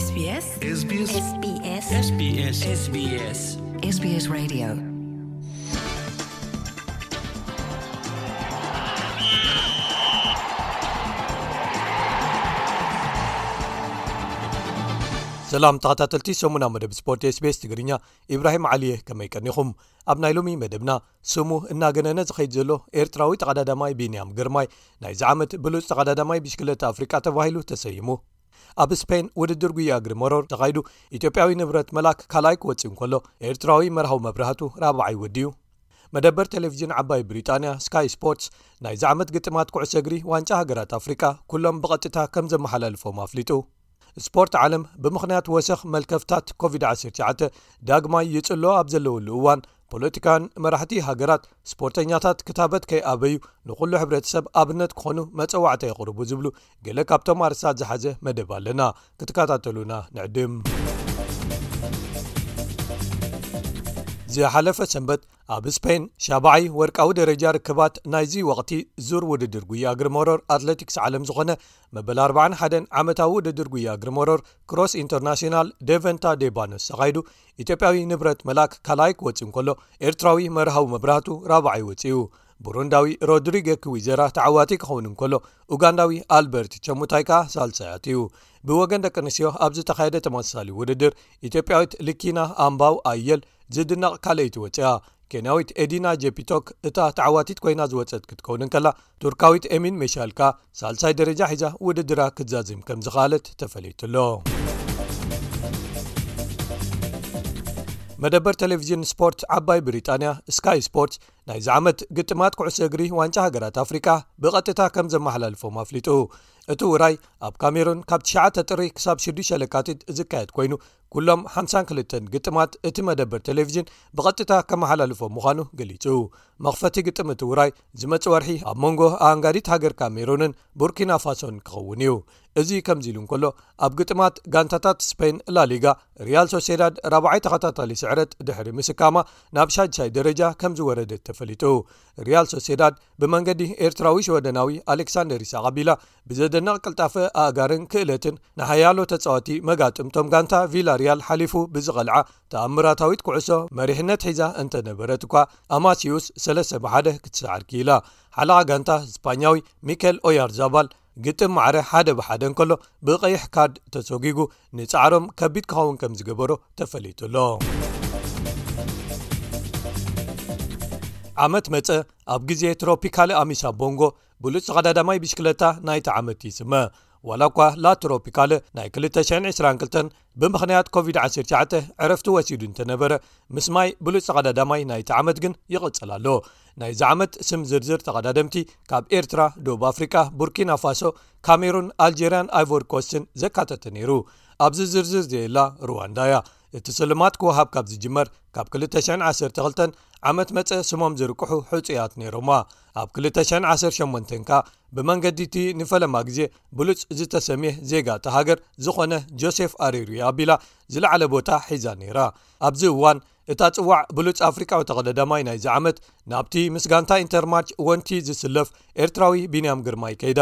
SBS SBS SBS SBS SBS Radio. ሰላም ተኸታተልቲ ሰሙና መደብ ስፖርት SBS ትግርኛ፣ ኢብራሂም ዓሊየ፣ ከመይ ቀኒኹም? ኣብ ናይ ሎሚ መደብና፣ ስሙ እናገነነ ዝኸይድ ዘሎ ኤርትራዊ ተቐዳዳማይ ቢንያም ግርማይ ናይዚ ዓመት ብሉጽ ተቐዳዳማይ ብሽክለታ ኣፍሪቃ ተባሂሉ ተሰይሙ። ኣብ ስፔን ውድድር ጉያ እግሪ መሮር ተኻይዱ፣ ኢትዮጵያዊ ንብረት መላክ ካልኣይ ክወጽእ እንከሎ፣ ኤርትራዊ መርሃዊ መብራህቱ ራብዓይ ወዲኡ። መደበር ቴሌቪዥን ዓባይ ብሪጣንያ ስካይ ስፖርትስ ናይዚ ዓመት ግጥማት ኩዕሶ እግሪ ዋንጫ ሃገራት ኣፍሪቃ ኩሎም ብቐጥታ ከም ዘመሓላልፎም ኣፍሊጡ። ስፖርት ዓለም ብምኽንያት ወሰኽ መልከፍታት ኮቪድ ዓሰርተ ትሽዓተ ዳግማይ ይጽሎ ኣብ ዘለወሉ እዋን፣ ፖለቲካን መራሕቲ ሃገራት ስፖርተኛታት ክታበት ከይኣበዩ ንኹሉ ሕብረተሰብ ኣብነት ክኾኑ መጸዋዕታ የቕርቡ ዝብሉ ገለ ካብቶም ኣርስታት ዝሓዘ መደብ ኣለና። ክትከታተሉና ንዕድም። ዝሓለፈ ሰንበት ኣብ ስፔን ሻብዓይ ወርቃዊ ደረጃ ርክባት ናይዚ ወቕቲ ዙር ውድድር ጉያ እግሪ መሮር ኣትሌቲክስ ዓለም ዝኾነ መበል ኣርባዓን ሓደን ዓመታዊ ውድድር ጉያ እግሪ መሮር ክሮስ ኢንተርናሽናል ዴቨንታ ዴባኖስ ተኻይዱ፣ ኢትዮጵያዊ ንብረት መላክ ካልኣይ ክወጽእ እንከሎ፣ ኤርትራዊ መርሃዊ መብራህቱ ራብዓይ ወጺኡ። ቡሩንዳዊ ሮድሪገ ክዊዘራ ተዓዋቲ ክኸውን እንከሎ፣ ኡጋንዳዊ ኣልበርት ቸሙታይ ከኣ ሳልሳይ ኣትዩ። ብወገን ደቂ ኣንስትዮ ኣብ ዝተኻየደ ተመሳሳሊ ውድድር፣ ኢትዮጵያዊት ልኪና ኣምባው ኣየል ዝድነቕ ካልኣይቲ ወጺኣ። ኬንያዊት ኤዲና ጄፒቶክ እታ ተዓዋቲት ኮይና ዝወጸት ክትከውን እንከላ፣ ቱርካዊት ኤሚን ሜሻል ከኣ ሳልሳይ ደረጃ ሒዛ ውድድራ ክትዛዝም ከም ዝኸኣለት ተፈሊጡ ኣሎ። መደበር ቴሌቪዥን ስፖርት ዓባይ ብሪጣንያ ስካይ ስፖርትስ ናይዚ ዓመት ግጥማት ኩዕሶ እግሪ ዋንጫ ሃገራት ኣፍሪቃ ብቐጥታ ከም ዘመሓላልፎም ኣፍሊጡ። እቲ ውራይ ኣብ ካሜሩን ካብ ትሽዓተ ጥሪ ክሳብ ሽዱሽተ ለካቲት ዝካየድ ኮይኑ፣ ኩሎም ሓምሳን ክልተን ግጥማት እቲ መደበር ቴሌቪዥን ብቐጥታ ከመሓላልፎም ምዃኑ ገሊጹ። መኽፈቲ ግጥም እቲ ውራይ ዝመጽእ ወርሒ ኣብ መንጎ ኣንጋዲት ሃገር ካሜሩንን ቡርኪና ፋሶን ክኸውን እዩ። እዚ ከምዚ ኢሉ እንከሎ፣ ኣብ ግጥማት ጋንታታት ስፔን ላሊጋ፣ ሪያል ሶሴዳድ ራብዓይ ተኸታታሊ ስዕረት ድሕሪ ምስካማ ናብ ሻድሻይ ደረጃ ከም ዝወረደት ተፈሊጡ። ሪያል ሶሴዳድ ብመንገዲ ኤርትራዊ ሽወደናዊ ኣሌክሳንደር ኢሳቕ ኣቢላ ብዘደንቕ ቅልጣፈ ኣእጋርን ክእለትን ንሓያሎ ተጻወቲ መጋጥምቶም ጋንታ ቪላሪያል ሓሊፉ ብዝቐልዓ ተኣምራታዊት ኩዕሶ መሪሕነት ሒዛ እንተነበረት እኳ፣ ኣማሲዩስ ሰለስተ ብሓደ ክትስዓር ክኢላ። ሓለቓ ጋንታ ስፓኛዊ ሚኬል ኦያርዛባል ግጥም ማዕረ ሓደ ብሓደ እንከሎ ብቐይሕ ካርድ ተሰጒጉ ንጻዕሮም ከቢድ ክኸውን ከም ዝገበሮ ተፈሊጡ ኣሎ። ዓመት መጸ ኣብ ግዜ ትሮፒካል ኣሚሳ ቦንጎ ብሉጽ ተቐዳዳማይ ብሽክለታ ናይቲ ዓመት ይስመ። ዋላ እኳ ላ ትሮፒካል ናይ ክልተ ሽሕን ዕስራን ክልተን ብምኽንያት ኮቪድ ዓሰርተ ትሽዓተ ዕረፍቲ ወሲዱ እንተነበረ፣ ምስ ማይ ብሉጽ ተቐዳዳማይ ናይቲ ዓመት ግን ይቕጽል ኣሎ። ናይዚ ዓመት ስም ዝርዝር ተቐዳደምቲ ካብ ኤርትራ፣ ደቡብ ኣፍሪቃ፣ ቡርኪና ፋሶ፣ ካሜሩን፣ ኣልጀርያን ኣይቮሪ ኮስትን ዘካተተ ነይሩ። ኣብዚ ዝርዝር ዘየላ ሩዋንዳ እያ። እቲ ስልማት ክወሃብ ካብ ዝጅመር ካብ ክልተ ሽሕን ዓሰርተ ክልተን ዓመት መጸ ስሞም ዝርቅሑ ሕጹያት ነይሮማ። ኣብ ክልተ ሽሕን ዓሰርተ ሸሞንተን ከኣ ብመንገዲ እቲ ንፈለማ ግዜ ብሉጽ ዝተሰምየ ዜጋ እታ ሃገር ዝኾነ ጆሴፍ ኣሪሩ ኣቢላ ዝለዓለ ቦታ ሒዛ ነይራ። ኣብዚ እዋን እታ ጽዋዕ ብሉጽ ኣፍሪቃዊ ተቐዳዳማይ ናይዚ ዓመት ናብቲ ምስ ጋንታ ኢንተርማርች ወንቲ ዝስለፍ ኤርትራዊ ቢንያም ግርማይ ከይዳ።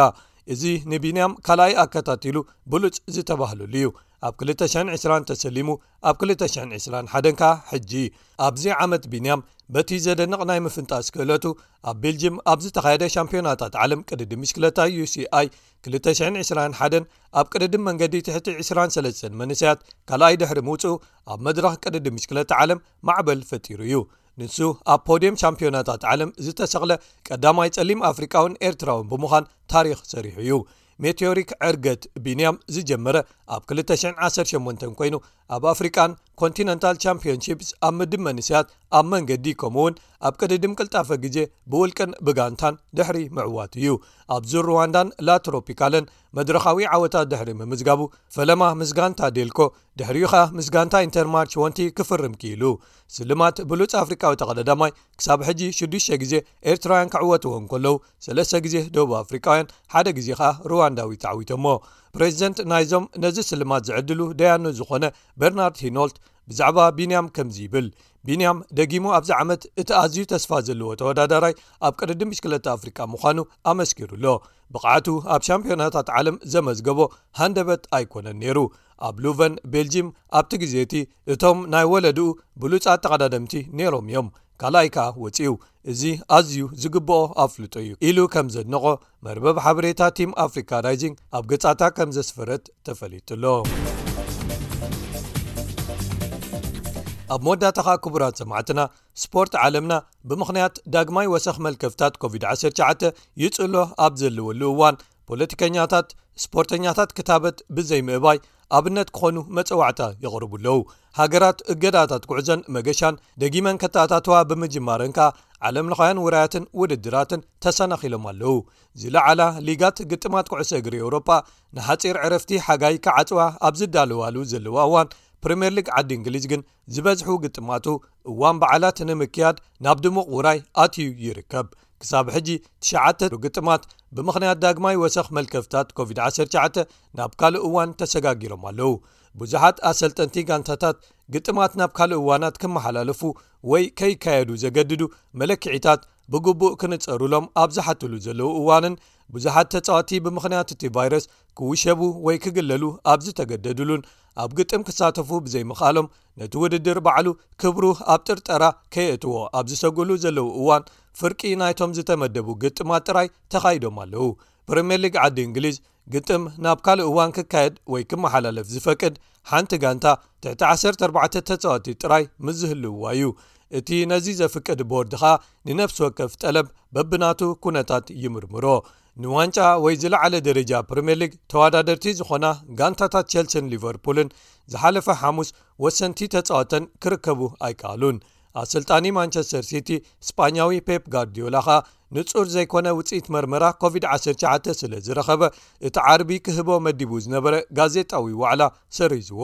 እዚ ንቢንያም ካልኣይ ኣከታቲሉ ብሉጽ ዝተባህለሉ እዩ። ኣብ ክልተ ሽሕን ዕስራን ተሰሊሙ፣ ኣብ ክልተ ሽሕን ዕስራን ሓደን ከኣ ሕጂ። ኣብዚ ዓመት ቢንያም በቲ ዘደንቕ ናይ ምፍንጣስ ክእለቱ ኣብ ቤልጅም ኣብ ዝተኻየደ ሻምፒዮናታት ዓለም ቅድድም ብሽክለታ ዩ ሲ ኣይ ክልተ ሽሕን ዕስራን ሓደን ኣብ ቅድድም መንገዲ ትሕቲ ዕስራን ሰለስተን መንእሰያት ካልኣይ ድሕሪ ምውጽኡ ኣብ መድረኽ ቅድድም ብሽክለታ ዓለም ማዕበል ፈጢሩ እዩ። ንሱ ኣብ ፖድየም ሻምፒዮናታት ዓለም ዝተሰቕለ ቀዳማይ ጸሊም ኣፍሪቃውን ኤርትራውን ብምዃን ታሪኽ ሰሪሑ እዩ። ሜቴዮሪክ ዕርገት ቢንያም ዝጀመረ ኣብ ክልተ ሽሕን ዓሰርተ ሸሞንተን ኮይኑ ኣብ ኣፍሪቃን ኮንቲነንታል ቻምፒዮንሺፕስ ኣብ ምድብ መንእሰያት ኣብ መንገዲ ከምኡውን ኣብ ቅድድም ቅልጣፈ ግዜ ብውልቅን ብጋንታን ድሕሪ ምዕዋት እዩ። ኣብ ዙር ሩዋንዳን ላ ትሮፒካልን መድረኻዊ ዓወታት ድሕሪ ምምዝጋቡ ፈለማ ምስ ጋንታ ዴልኮ ድሕሪኡ ኸኣ ምስ ጋንታ ኢንተርማርች ወንቲ ክፍርም ክኢሉ። ስልማት ብሉጽ ኣፍሪቃዊ ተቐዳዳማይ ክሳብ ሕጂ ሽዱሽተ ግዜ ኤርትራውያን ክዕወትዎ እንከለዉ፣ ሰለስተ ግዜ ደቡብ ኣፍሪቃውያን፣ ሓደ ግዜ ኸኣ ሩዋንዳዊ ተዓዊቶሞ። ፕሬዚደንት ናይዞም ነዚ ስልማት ዝዕድሉ ደያኑ ዝኾነ በርናርድ ሂኖልት ብዛዕባ ቢንያም ከምዚ ይብል። ቢንያም ደጊሙ ኣብዚ ዓመት እቲ ኣዝዩ ተስፋ ዘለዎ ተወዳዳራይ ኣብ ቅድድም ብሽክለታ ኣፍሪቃ ምዃኑ ኣመስኪሩ ኣሎ። ብቕዓቱ ኣብ ሻምፒዮናታት ዓለም ዘመዝገቦ ሃንደበት ኣይኮነን ነይሩ። ኣብ ሉቨን ቤልጂም ኣብቲ ግዜ እቲ እቶም ናይ ወለድኡ ብሉጻት ተቐዳደምቲ ነይሮም እዮም። ካልኣይ ከኣ ወጺኡ። እዚ ኣዝዩ ዝግብኦ ኣፍልጦ እዩ ኢሉ ከም ዘድነቖ መርበብ ሓበሬታ ቲም ኣፍሪካ ራይዚንግ ኣብ ገጻታ ከም ዘስፈረት ተፈሊጡ ኣሎ። ኣብ መወዳእታ ከኣ ክቡራት ሰማዕትና፣ ስፖርት ዓለምና ብምኽንያት ዳግማይ ወሰኽ መልከፍታት ኮቪድ ዓሰርተ ትሽዓተ ይጽሎ ኣብ ዘለወሉ እዋን፣ ፖለቲከኛታት፣ ስፖርተኛታት ክታበት ብዘይምእባይ ኣብነት ክኾኑ መጸዋዕታ የቕርቡ ኣለዉ። ሃገራት እገዳታት ጉዕዞን መገሻን ደጊመን ከተኣታተዋ ብምጅማረን ከኣ፣ ዓለምለኻውያን ውራያትን ውድድራትን ተሰናኺሎም ኣለዉ። ዝለዓላ ሊጋት ግጥማት ኩዕሶ እግሪ ኤውሮጳ ንሓጺር ዕረፍቲ ሓጋይ ክዓጽዋ ኣብ ዝዳለዋሉ ዘለዋ እዋን፣ ፕሪምየር ሊግ ዓዲ እንግሊዝ ግን ዝበዝሑ ግጥማቱ እዋን በዓላት ንምክያድ ናብ ድሙቕ ውራይ ኣትዩ ይርከብ። ክሳብ ሕጂ ትሽዓተ ግጥማት ብምኽንያት ዳግማይ ወሰኽ መልከፍታት ኮቪድ ዓሰርተ ትሽዓተ ናብ ካልእ እዋን ተሰጋጊሮም ኣለዉ። ብዙሓት ኣሰልጠንቲ ጋንታታት ግጥማት ናብ ካልእ እዋናት ክመሓላለፉ ወይ ከይካየዱ ዘገድዱ መለክዒታት ብግቡእ ክንጸሩሎም ኣብ ዝሓትሉ ዘለዉ እዋንን፣ ብዙሓት ተጻወቲ ብምኽንያት እቲ ቫይረስ ክውሸቡ ወይ ክግለሉ ኣብ ዝተገደድሉን፣ ኣብ ግጥም ክሳተፉ ብዘይምኽኣሎም፣ ነቲ ውድድር ባዕሉ ክብሩ ኣብ ጥርጠራ ከየእትዎ ኣብ ዝሰግኡሉ ዘለዉ እዋን፣ ፍርቂ ናይቶም ዝተመደቡ ግጥማት ጥራይ ተኻይዶም ኣለዉ። ፕሪምየር ሊግ ዓዲ እንግሊዝ ግጥም ናብ ካልእ እዋን ክካየድ ወይ ክመሓላለፍ ዝፈቅድ ሓንቲ ጋንታ ትሕቲ ዓሰርተ ኣርባዕተ ተጻወቲ ጥራይ ምስ ዝህልውዋ እዩ። እቲ ነዚ ዘፍቅድ ቦርድ ኸኣ ንነፍሲ ወከፍ ጠለብ በብናቱ ኩነታት ይምርምሮ። ንዋንጫ ወይ ዝለዓለ ደረጃ ፕሪምየር ሊግ ተወዳደርቲ ዝኾና ጋንታታት ቸልሲን ሊቨርፑልን ዝሓለፈ ሓሙስ ወሰንቲ ተጻወተን ክርከቡ ኣይከኣሉን። ኣሰልጣኒ ማንቸስተር ሲቲ ስጳኛዊ ፔፕ ጋርዲዮላ ኸኣ ንጹር ዘይኮነ ውጽኢት መርመራ ኮቪድ ዓሰርተ ትሽዓተ ስለ ዝረኸበ፣ እቲ ዓርቢ ክህቦ መዲቡ ዝነበረ ጋዜጣዊ ዋዕላ ሰሪዝዎ።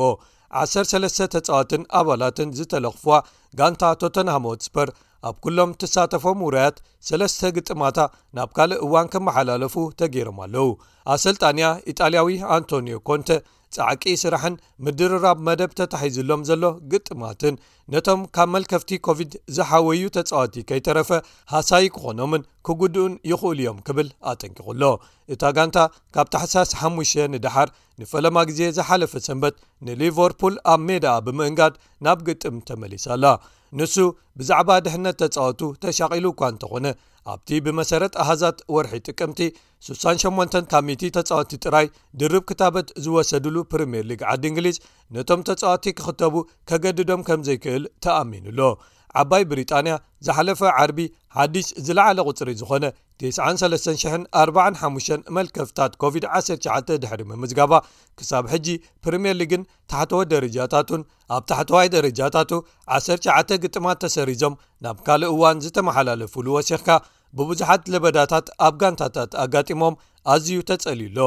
ዓሰርተ ሰለስተ ተጻወትን ኣባላትን ዝተለኽፍዋ ጋንታ ቶተንሃም ሆትስፐር፣ ኣብ ኩሎም ትሳተፎም ውራያት ሰለስተ ግጥማታ ናብ ካልእ እዋን ክመሓላለፉ ተገይሮም ኣለዉ። ኣሰልጣንያ ኢጣልያዊ ኣንቶኒዮ ኮንተ፣ ጻዕቂ ስራሕን ምድርራብ መደብ ተታሒዝሎም ዘሎ ግጥማትን፣ ነቶም ካብ መልከፍቲ ኮቪድ ዝሓወዩ ተጻወቲ ከይተረፈ ሃሳዪ ክኾኖምን ክጉድኡን ይኽእሉ እዮም ክብል ኣጠንቂቑ ኣሎ። እታ ጋንታ ካብ ታሕሳስ ሓሙሽተ ንደሓር ንፈለማ ግዜ ዝሓለፈ ሰንበት ንሊቨርፑል ኣብ ሜዳኣ ብምእንጋድ ናብ ግጥም ተመሊሳ ኣላ። ንሱ ብዛዕባ ድሕነት ተጻወቱ ተሻቒሉ እኳ እንተኾነ፣ ኣብቲ ብመሰረት ኣሃዛት ወርሒ ጥቅምቲ ሱሳን ሸሞንተን ካብ ሚእቲ ተጻወቲ ጥራይ ድርብ ክታበት ዝወሰድሉ ፕሪምየር ሊግ ዓዲ እንግሊዝ፣ ነቶም ተጻወቲ ክኽተቡ ከገድዶም ከም ዘይክእል ተኣሚኑ ኣሎ። ዓባይ ብሪጣንያ ዝሓለፈ ዓርቢ ሓድሽ ዝለዓለ ቁጽሪ ዝኾነ ተስዓን ሰለስተን ሽሕን ኣርባዓን ሓሙሽተን መልከፍታት ኮቪድ ዓሰርተ ትሽዓተ ድሕሪ ምምዝጋባ፣ ክሳብ ሕጂ ፕሪምየር ሊግን ታሕተዎት ደረጃታቱን፣ ኣብ ታሕተዋይ ደረጃታቱ ዓሰርተ ትሽዓተ ግጥማት ተሰሪዞም ናብ ካልእ እዋን ዝተመሓላለፉሉ ወሲኽካ፣ ብብዙሓት ለበዳታት ኣብ ጋንታታት ኣጋጢሞም ኣዝዩ ተጸልዩ ኣሎ።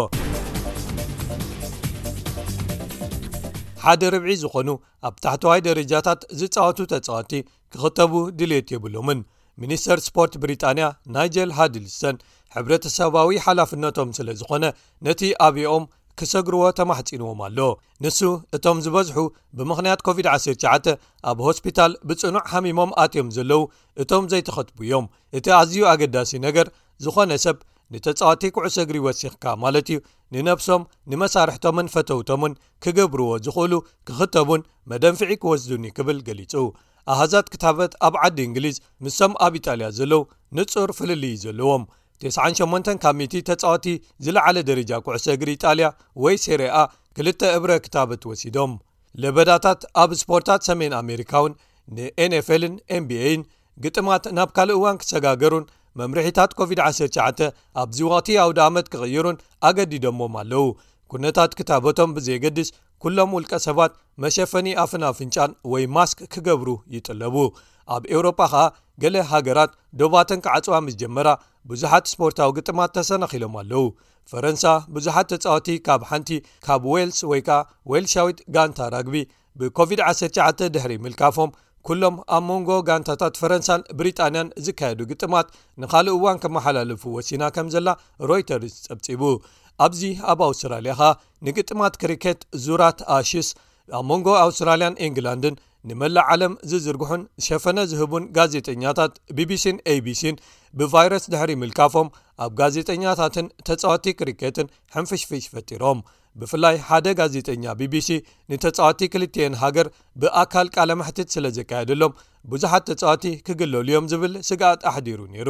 ሓደ ርብዒ ዝኾኑ ኣብ ታሕተዋይ ደረጃታት ዝጻወቱ ተጻወቲ ክኽተቡ ድልየት የብሎምን። ሚኒስተር ስፖርት ብሪጣንያ ናይጀል ሃድልስተን፣ ሕብረተሰባዊ ሓላፍነቶም ስለ ዝኾነ፣ ነቲ ኣብኦም ክሰግርዎ ተማሕጺንዎም ኣሎ። ንሱ፣ እቶም ዝበዝሑ ብምኽንያት ኮቪድ ዓሰርተ ትሽዓተ ኣብ ሆስፒታል ብጽኑዕ ሓሚሞም ኣትዮም ዘለዉ እቶም ዘይተኸትቡ እዮም። እቲ ኣዝዩ ኣገዳሲ ነገር፣ ዝኾነ ሰብ ንተጻወቲ ኩዕሶ እግሪ ወሲኽካ ማለት እዩ፣ ንነብሶም፣ ንመሳርሕቶምን ፈተውቶምን ክገብርዎ ዝኽእሉ ክኽተቡን መደንፍዒ ክወስዱን እዩ ክብል ገሊጹ። ኣሃዛት ክታበት ኣብ ዓዲ እንግሊዝ ምስቶም ኣብ ኢጣልያ ዘለዉ ንጹር ፍልልይ እዩ ዘለዎም። ተስዓን ሸሞንተን ካብ ሚእቲ ተጻወቲ ዝለዓለ ደረጃ ኩዕሶ እግሪ ኢጣልያ ወይ ሴሪኣ ክልተ እብረ ክታበት ወሲዶም። ለበዳታት ኣብ ስፖርታት ሰሜን ኣሜሪካ እውን ንኤንኤፍኤልን ኤንቢኤን ግጥማት ናብ ካልእ እዋን ክሰጋገሩን መምርሒታት ኮቪድ ዓሰርተ ትሽዓተ ኣብዚ ወቕቲ ኣውደ ኣመት ክቕይሩን ኣገዲዶሞም ኣለዉ። ኩነታት ክታበቶም ብዘየገድስ፣ ኩሎም ውልቀ ሰባት መሸፈኒ ኣፍን ኣፍንጫን ወይ ማስክ ክገብሩ ይጥለቡ። ኣብ ኤውሮጳ ኸኣ ገለ ሃገራት ዶባተን ክዓጽዋ ምስ ጀመራ፣ ብዙሓት ስፖርታዊ ግጥማት ተሰናኺሎም ኣለዉ። ፈረንሳ ብዙሓት ተጻወቲ ካብ ሓንቲ ካብ ዌልስ ወይ ከኣ ዌልሻዊት ጋንታ ራግቢ ብኮቪድ ዓሰርተ ትሽዓተ ድሕሪ ምልካፎም፣ ኩሎም ኣብ መንጎ ጋንታታት ፈረንሳን ብሪጣንያን ዝካየዱ ግጥማት ንኻልእ እዋን ከመሓላልፉ ወሲና ከም ዘላ ሮይተርስ ጸብጺቡ። ኣብዚ ኣብ ኣውስትራልያ ኸኣ ንግጥማት ክሪኬት ዙራት ኣሽስ ኣብ መንጎ ኣውስትራልያን ኢንግላንድን ንመላእ ዓለም ዝዝርግሑን ሸፈነ ዝህቡን ጋዜጠኛታት ቢቢሲን ኤቢሲን ብቫይረስ ድሕሪ ምልካፎም፣ ኣብ ጋዜጠኛታትን ተጻወቲ ክሪኬትን ሕንፍሽፍሽ ፈጢሮም። ብፍላይ ሓደ ጋዜጠኛ ቢቢሲ ንተጻወቲ ክልቲኤን ሃገር ብኣካል ቃለ መሕትት ስለ ዘካየደሎም፣ ብዙሓት ተጻወቲ ክግለሉ እዮም ዝብል ስግኣት ኣሕዲሩ ነይሩ።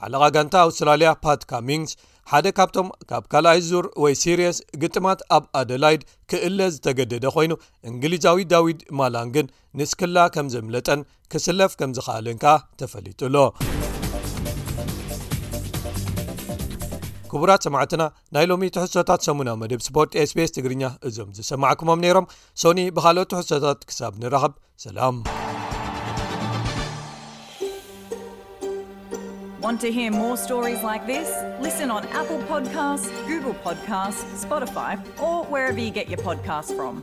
ሓለቓ ጋንታ ኣውስትራልያ ፓት ካሚንግስ፣ ሓደ ካብቶም ካብ ካልኣይ ዙር ወይ ሲሪየስ ግጥማት ኣብ ኣደላይድ ክእለ ዝተገደደ ኮይኑ፣ እንግሊዛዊ ዳዊድ ማላን ግን ንስክላ ከም ዘምለጠን ክስለፍ ከም ዝኸኣለን ከኣ ተፈሊጡ ኣሎ። ክቡራት ሰማዕትና፣ ናይ ሎሚ ትሕዝቶታት ሰሙናዊ መደብ ስፖርት ኤስቢኤስ ትግርኛ እዞም ዝሰማዕኩሞም ነይሮም። ሶኒ ብኻልኦት ትሕዝቶታት ክሳብ ንራኸብ፣ ሰላም። Want to hear more stories like this? Listen on Apple Podcasts, Google Podcasts, Spotify, or wherever you get your podcasts from.